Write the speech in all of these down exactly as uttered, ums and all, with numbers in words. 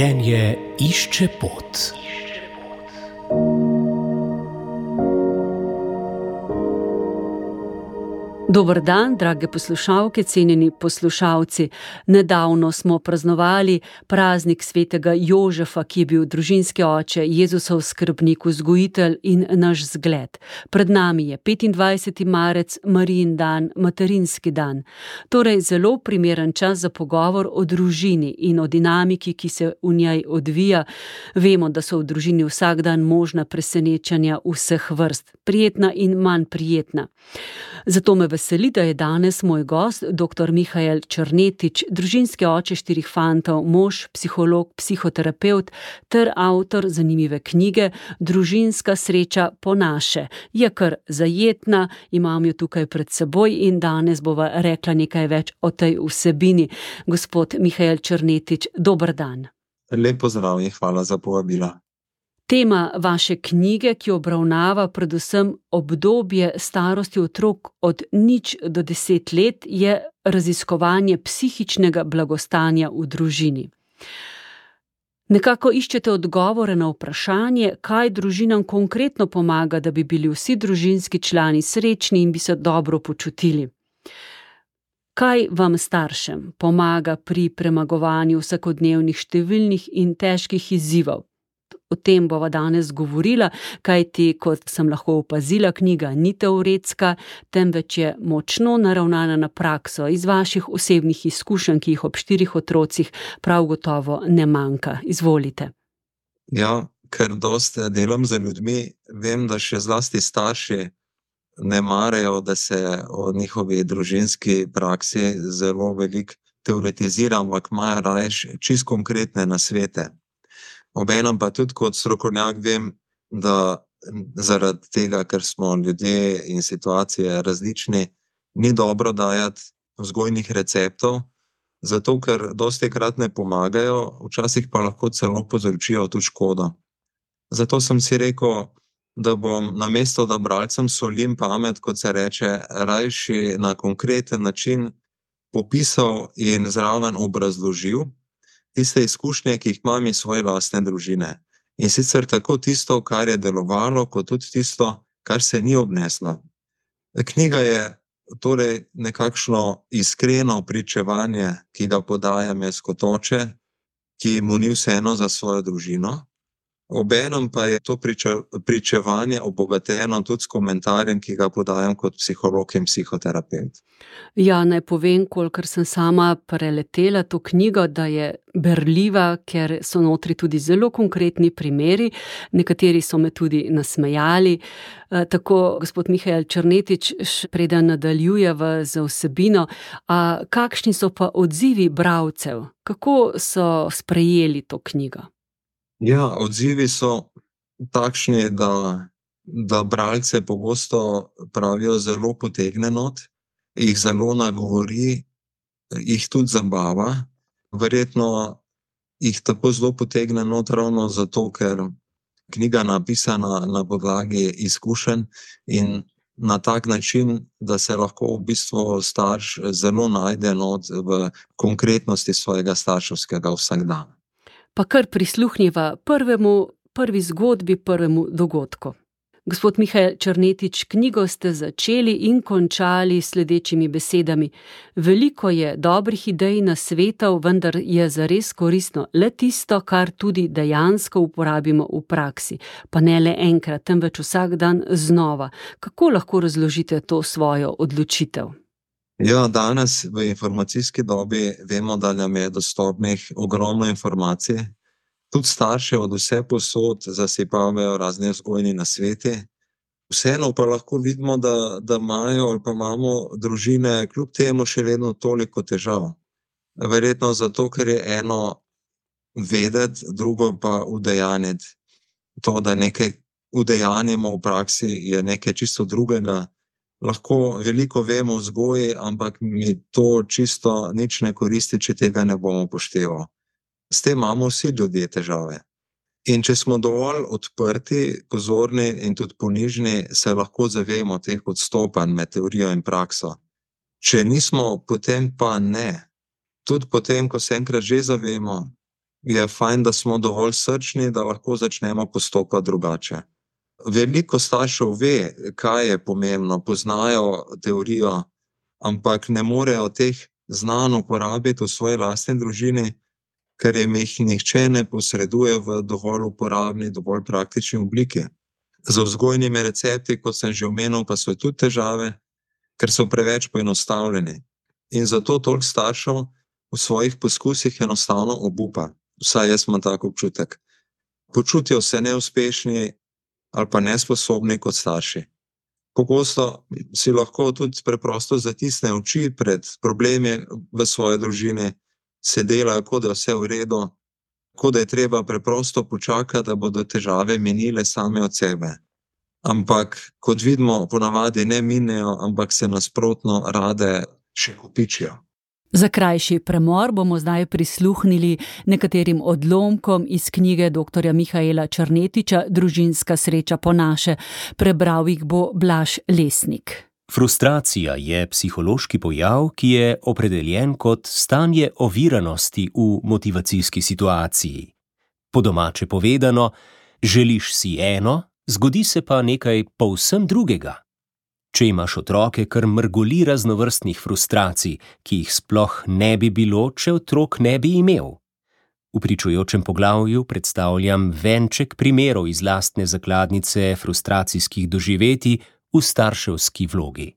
Življenje išče pot. Dober dan, drage poslušalke, cenjeni poslušalci. Nedavno smo praznovali praznik svetega Jožefa, ki je bil družinski oče, Jezusov skrbnik, vzgojitelj in naš zgled. Pred nami je petindvajseti marec, Marijin dan, materinski dan. Torej zelo primeren čas za pogovor o družini in o dinamiki, ki se v njej odvija. Vemo, da so v družini vsak dan možna presenečenja vseh vrst, prijetna in manj prijetna. Zato me veseli, da je danes moj gost, doktor Mihael Črnetič, družinski oče štirih fantov, mož, psiholog, psihoterapevt ter avtor zanimive knjige Družinska sreča po naše. Je kar zajetna, imam jo tukaj pred seboj in danes bova rekla nekaj več o tej vsebini. Gospod Mihael Črnetič, dober dan. Lep pozdrav in hvala za povabilo. Tema vaše knjige, ki obravnava predvsem obdobje starosti otrok od nič do deset let, je raziskovanje psihičnega blagostanja v družini. Nekako iščete odgovore na vprašanje, kaj družinam konkretno pomaga, da bi bili vsi družinski člani srečni in bi se dobro počutili. Kaj vam staršem pomaga pri premagovanju vsakodnevnih številnih in težkih izzivov? O tem bova danes govorila, kajti, kot sem lahko opazila, knjiga ni teoretska, temveč je močno naravnana na prakso iz vaših osebnih izkušenj, ki jih ob štirih otrocih prav gotovo ne manjka. Izvolite. Ja, ker dosti delam z ljudmi, vem, da še zlasti starši ne marajo, da se o njihovi družinski praksi zelo veliko teoretizira, ampak imajo raje čisto konkretne nasvete. Obenem pa tudi kot strokovnjak vem, da zaradi tega, ker smo ljudje in situacije različni, ni dobro dajati vzgojnih receptov, zato ker dostikrat ne pomagajo, včasih pa lahko celo povzročijo tudi škodo. Zato sem si rekel, da bom namesto, da bralcem solim pamet, kot se reče, rajši na konkreten način popisal in zraven obrazložil tiste izkušnje, ki jih imam iz svoje lastne družine. In sicer tako tisto, kar je delovalo, kot tudi tisto, kar se ni obneslo. Knjiga je torej nekakšno iskreno pričevanje, ki ga podajam jaz kot oče, ki mu ni vseeno za svojo družino. Obenem pa je to priče, pričevanje obogateno tudi s komentarjem, ki ga podajam kot psiholog in psihoterapevt. Ja, naj povem, kolikor sem sama preletela to knjigo, da je berljiva, ker so notri tudi zelo konkretni primeri, nekateri so me tudi nasmejali. Tako, gospod Mihael Črnetič, preden nadaljujeva z vsebino, a kakšni so pa odzivi bralcev? Kako so sprejeli to knjigo? Ja, odzivi so takšni, da, da bralce pogosto pravijo zelo potegne not, jih zelo nagovori, jih tudi zabava. Verjetno jih tako zelo potegne not ravno zato, ker knjiga napisana na podlagi izkušenj in na tak način, da se lahko v bistvu starš zelo najde not v konkretnosti svojega starševskega vsakdana. Pa kar prisluhnjeva prvemu, prvi zgodbi, prvemu dogodku. Gospod Mihael Črnetič, knjigo ste začeli in končali s sledečimi besedami. Veliko je dobrih idej na svetov, vendar je zares koristno le tisto, kar tudi dejansko uporabimo v praksi. Pa ne le enkrat, temveč vsak dan znova. Kako lahko razložite to svojo odločitev? Ja, danes v informacijski dobi vemo, da nam je dostopnih ogromno informacij. Tudi starše od vse posod zasipavajo razne vzgojni nasveti. Vseeno pa lahko vidimo, da, da imajo ali pa imamo družine kljub temu še vedno toliko težav. Verjetno zato, ker je eno vedeti, drugo pa udejanjiti. To, da nekaj udejanjimo v praksi, je nekaj čisto drugega. Lahko veliko vemo o vzgoji, ampak mi to čisto nič ne koristi, če tega ne bomo upoštevali. S tem imamo vsi ljudje težave. In če smo dovolj odprti, pozorni in tudi ponižni, se lahko zavemo teh odstopanj med teorijo in prakso. Če nismo, potem pa ne. Tudi potem, ko se enkrat že zavemo, je fajn, da smo dovolj srčni, da lahko začnemo postopati drugače. Veliko staršev ve, kaj je pomembno, poznajo teorijo, ampak ne morejo teh znanj uporabiti v svoji lastni družini, ker jim jih nihče ne posreduje v dovolj uporabni, dovolj praktični obliki. Z vzgojnimi recepti, kot sem že omenil, pa so tudi težave, ker so preveč poenostavljeni. In zato toliko staršev v svojih poskusih enostavno obupa. Vsaj jaz imam tak občutek. Počutijo se neuspešni ali pa nesposobni kot starši. Pogosto si lahko tudi preprosto zatisne oči pred problemi v svoji družini, se delajo, kot da je vse v redu, kot da je treba preprosto počakati, da bodo težave minile same od sebe. Ampak, kot vidimo, ponavadi ne minejo, ampak se nasprotno rade še kopičijo. Za krajši premor bomo zdaj prisluhnili nekaterim odlomkom iz knjige doktorja Mihaela Črnetiča Družinska sreča po naše. Prebral jih bo Blaž Lesnik. Frustracija je psihološki pojav, ki je opredeljen kot stanje oviranosti v motivacijski situaciji. Po domače povedano, želiš si eno, zgodi se pa nekaj povsem drugega. Če imaš otroke, kar mrgoli raznovrstnih frustracij, ki jih sploh ne bi bilo, če otrok ne bi imel. V pričujočem poglavju predstavljam venček primerov iz lastne zakladnice frustracijskih doživetij v starševski vlogi.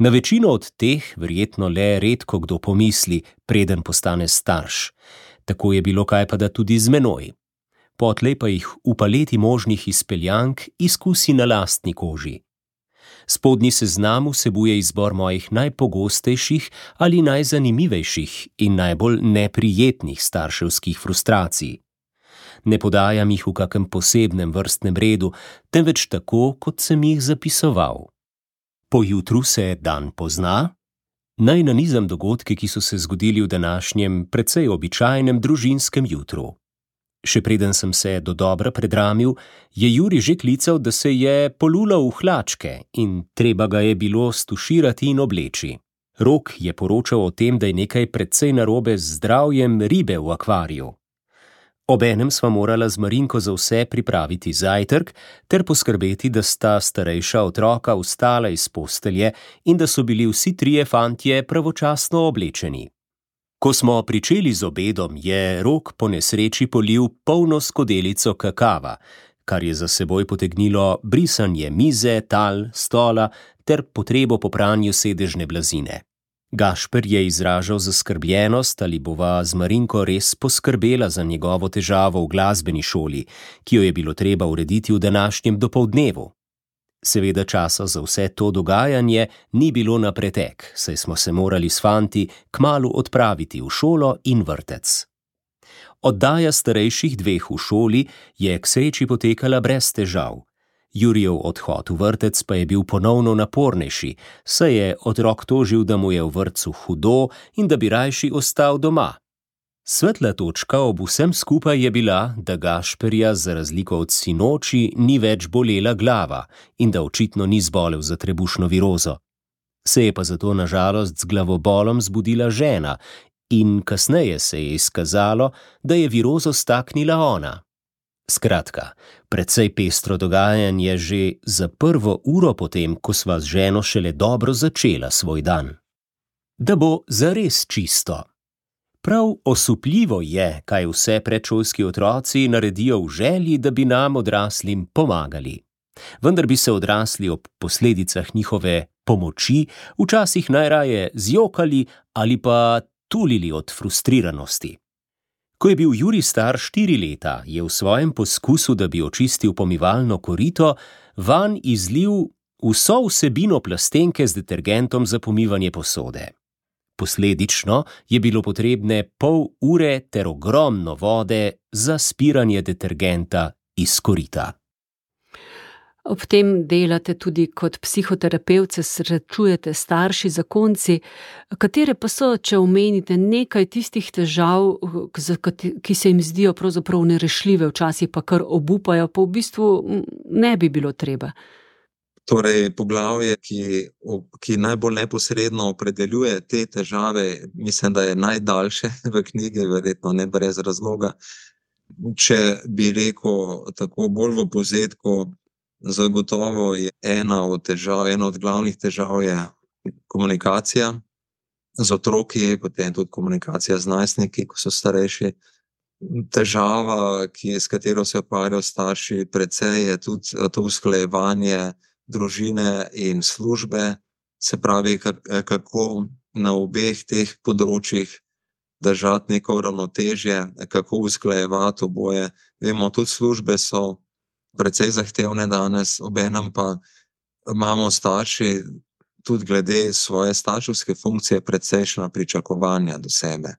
Na večino od teh verjetno le redko kdo pomisli, preden postane starš. Tako je bilo kajpada tudi z menoj. Potlej pa jih v paleti možnih izpeljank izkusi na lastni koži. Spodnji seznam vsebuje izbor mojih najpogostejših ali najzanimivejših in najbolj neprijetnih starševskih frustracij. Ne podajam jih v kakem posebnem vrstnem redu, temveč tako, kot sem jih zapisoval. Po jutru se dan pozna? Naj nanizam dogodke, ki so se zgodili v današnjem, precej običajnem družinskem jutru. Še preden sem se dodobra predramil, je Juri že klical, da se je polulal v hlačke in treba ga je bilo stuširati in obleči. Rok je poročal o tem, da je nekaj precej narobe z zdravjem ribe v akvariju. Obenem sva morala z Marinko za vse pripraviti zajtrk ter poskrbeti, da sta starejša otroka vstala iz postelje in da so bili vsi trije fantje pravočasno oblečeni. Ko smo pričeli z obedom, je Rok po nesreči polil polno skodelico kakava, kar je za seboj potegnilo brisanje mize, tal, stola ter potrebo po pranju sedežne blazine. Gašper je izražal zaskrbljenost, ali bova z Marinko res poskrbela za njegovo težavo v glasbeni šoli, ki jo je bilo treba urediti v današnjem dopoldnevu. Seveda časa za vse to dogajanje ni bilo na pretek, saj smo se morali s fanti kmalu odpraviti v šolo in vrtec. Oddaja starejših dveh v šoli je k sreči potekala brez težav. Jurijev odhod v vrtec pa je bil ponovno napornejši, saj je otrok tožil, da mu je v vrtcu hudo in da bi rajši ostal doma. Svetla točka ob vsem skupaj je bila, da Gašperja za razliko od sinoči ni več bolela glava in da očitno ni zbolel za trebušno virozo. Se je pa zato na žalost z glavobolom zbudila žena in kasneje se je izkazalo, da je virozo staknila ona. Skratka, precej pestro dogajanje že za prvo uro potem, ko sva z ženo šele dobro začela svoj dan. Da bo zares čisto. Prav osupljivo je, kaj vse predšolski otroci naredijo v želji, da bi nam odraslim pomagali. Vendar bi se odrasli ob posledicah njihove pomoči včasih najraje zjokali ali pa tulili od frustriranosti. Ko je bil Juri star štiri leta, je v svojem poskusu, da bi očistil pomivalno korito, vanj izlil vso vsebino plastenke z detergentom za pomivanje posode. Posledično je bilo potrebne pol ure ter ogromno vode za spiranje detergenta iz korita. Ob tem delate tudi kot psihoterapevt, se srečujete starši, zakonci. Katere pa so, če omenite nekaj tistih težav, ki se jim zdijo pravzaprav nerešljive, včasih pa kar obupajo, pa v bistvu ne bi bilo treba? Torej, poglavje, ki, ki najbolj neposredno opredeljuje te težave, mislim, da je najdaljše v knjigi, verjetno ne brez razloga. Če bi rekel tako bolj v povzetku, zagotovo je ena od težav, ena od glavnih težav je komunikacija z otroki, potem tudi komunikacija z najstniki, ko so starejši. Težava, ki, s katero se ukvarjajo starši, precej je tudi to usklajevanje družine in službe, se pravi, kako na obeh teh področjih držati neko ravnotežje, kako usklajevati oboje. Vemo, tudi službe so precej zahtevne danes, obenem pa imamo starši tudi glede svoje starševske funkcije precejšnja pričakovanja do sebe.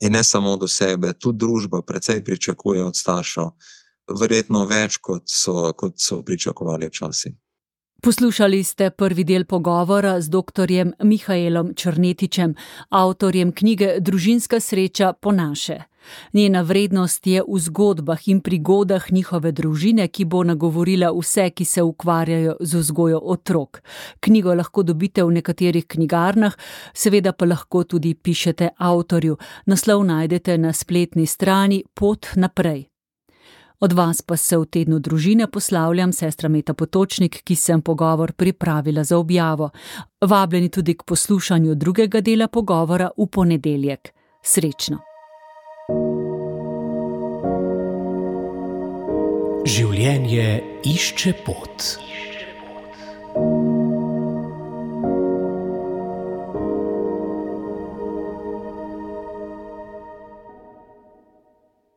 In ne samo do sebe, tudi družba precej pričakuje od staršev, verjetno več, kot so, kot so pričakovali včasih. Poslušali ste prvi del pogovora z doktorjem Mihaelom Črnetičem, avtorjem knjige Družinska sreča po naše. Njena vrednost je v zgodbah in prigodah njihove družine, ki bo nagovorila vse, ki se ukvarjajo z vzgojo otrok. Knjigo lahko dobite v nekaterih knjigarnah, seveda pa lahko tudi pišete avtorju. Naslov najdete na spletni strani Pot naprej. Od vas pa se v tednu družine poslavljam sestra Meta Potočnik, ki sem pogovor pripravila za objavo. Vabljeni tudi k poslušanju drugega dela pogovora v ponedeljek. Srečno! Življenje išče pot.